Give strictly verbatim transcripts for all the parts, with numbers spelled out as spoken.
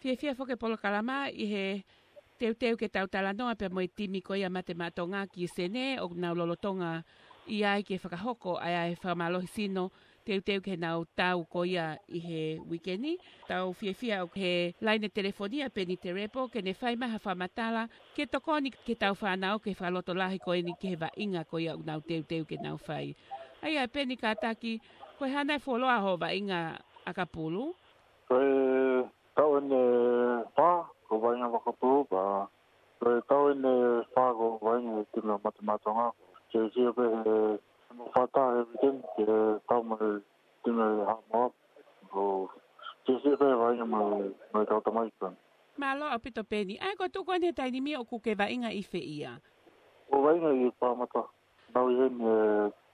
Fiefia foki e polokalama ʻi he teuteu ke tau talanoa pea mo e timi ko ia Mate Maʻa Tonga ki Senē, ʻoku nau lolotonga ʻi ai ke fakahoko ai ʻa e fakamālohi sino teuteu ki heʻenau tau ko ia ʻi he uike ni. Tau fiefia ʻoku ʻi he laine telefoni ʻa Peni Terepo ke ne fai mai ha fakamatala ke tokoni ki heʻetau fānau ki he fakalotolahi ko eni ki he vaʻinga ko ia ʻoku nau teuteu ke nau fai. ʻA ia Peni, kātaki, ko e hā nai e fuoloa hoʻo vaʻinga ʻakapulu? Ko e taʻu eni ʻe fā ko e vaʻinga ʻakapulu, pea ko e taʻu eni ʻe fā ko e vaʻinga he timi ʻa Mate Maʻa Tonga. Ke sio pē he mo fata he weekend ke tau mo e timi ʻa Haʻamoa. Ko ke sio pē he vaʻinga mo, mo e kau tamaiki ko eni. Mālō ʻaupito Peni. ʻA ia ko e tuʻu ko eni he taimi ni ʻoku ke vaʻinga ʻi fē ia? Ko e vaʻinga ʻi Paramata. Naʻá ku ʻi heni he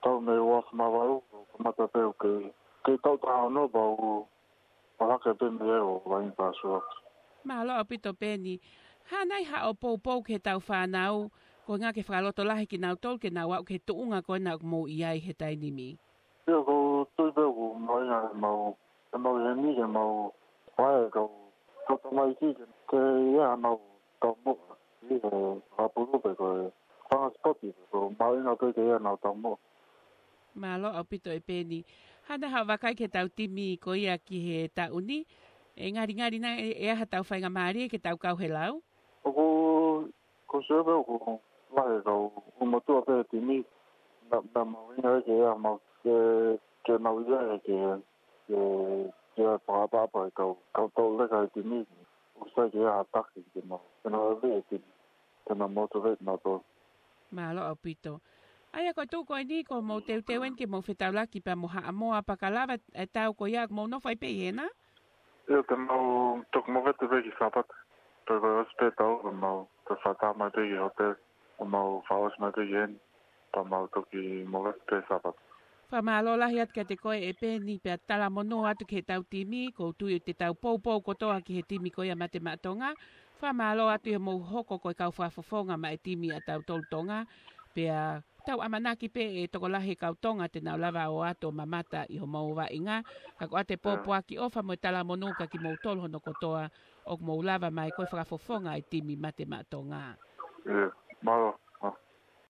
taʻu mei he ua afe mā valu, kamata pē ʻo kei, kei taʻu taha ono pea u ʻalu hake pē mei ai ʻo vaʻinga Paramata. Mālō ʻaupito Peni. Hā nai haʻo poupou ki heʻetau fānau, ko e ʻuhinga ke fakalotolahi kinautolu ke nau aʻu ki he tuʻunga ko ena ʻoku mou ʻi ai he taimi ni? ʻIo, ʻoku ou tui pē ʻoku mahuʻinga ke mau, ke mau ʻi heni ke mau fai e kau, kau tamaiki ke, ke ʻi ai haʻanau taumuʻa ʻi he ʻakapulu pe ko e fanga sipoti, ko e mahuʻinga pē ke ʻi ai haʻanau taumuʻa. Mālō ʻaupito ʻe Peni. Hā nai haʻo vakai ki heʻetau timi ko ia ki he taʻu ni? ʻE ngalingali nai ʻe, ʻe ʻi ai haʻatau faingamālie ke tau kau he lau? ʻOku, ʻoku ou sio pē ʻoku lahi e kau ʻū motuʻa pē he timi. Naʻa, naʻa mahuʻinga ke ʻi ai haʻamau, ke, ke nau ʻi ai ke, ke, ke fakaʻapaʻapa e kau, kau tauleka he timi. ʻOku sai ke ʻi ai ha taki ke nau, ke nau ʻi ai e timi, ke nau motivate kinautolu. Mālō ʻaupito. ʻA ia ko e tuʻu ko eni ʻoku mou teuteu eni ke mou fetaulaki pea mo Haʻamoa, pea ka lava e tau ko ia ʻoku mou nofo ai pē ʻi hena? ʻIo, te mau toki movete pē ki Sāpate. Pea ko e ʻosi pē tau, pea mau toki fakataha mai pē ki he hōtele, pea mau fakaʻosi mai pē ki heni, pea mau toki movete pē Sāpate. Fakamālō lahi atu kiate koe ʻe Peni, pea talamonū atu ki heʻetau timi, ʻoku ou tui ʻoku te tau poupou kotoa ki he timi ko ia Mate Maʻa Tonga. Fakamālō atu ʻi hoʻomou hoko ko e kau fakafofonga maʻa e timi ʻa tautolu Tonga, pea tau ʻamanaki pē ʻe tokolahi e kau Tonga te nau lava ʻo ō atu ʻo mamata ʻi hoʻomou vaʻinga, ka ko ʻete pōpoaki ʻofa mo e talamonū kiate kimoutolu hono kotoa ʻoku mou lava mai ko e fakafofonga e timi Mate Maʻa Tonga. ʻIo, mālō.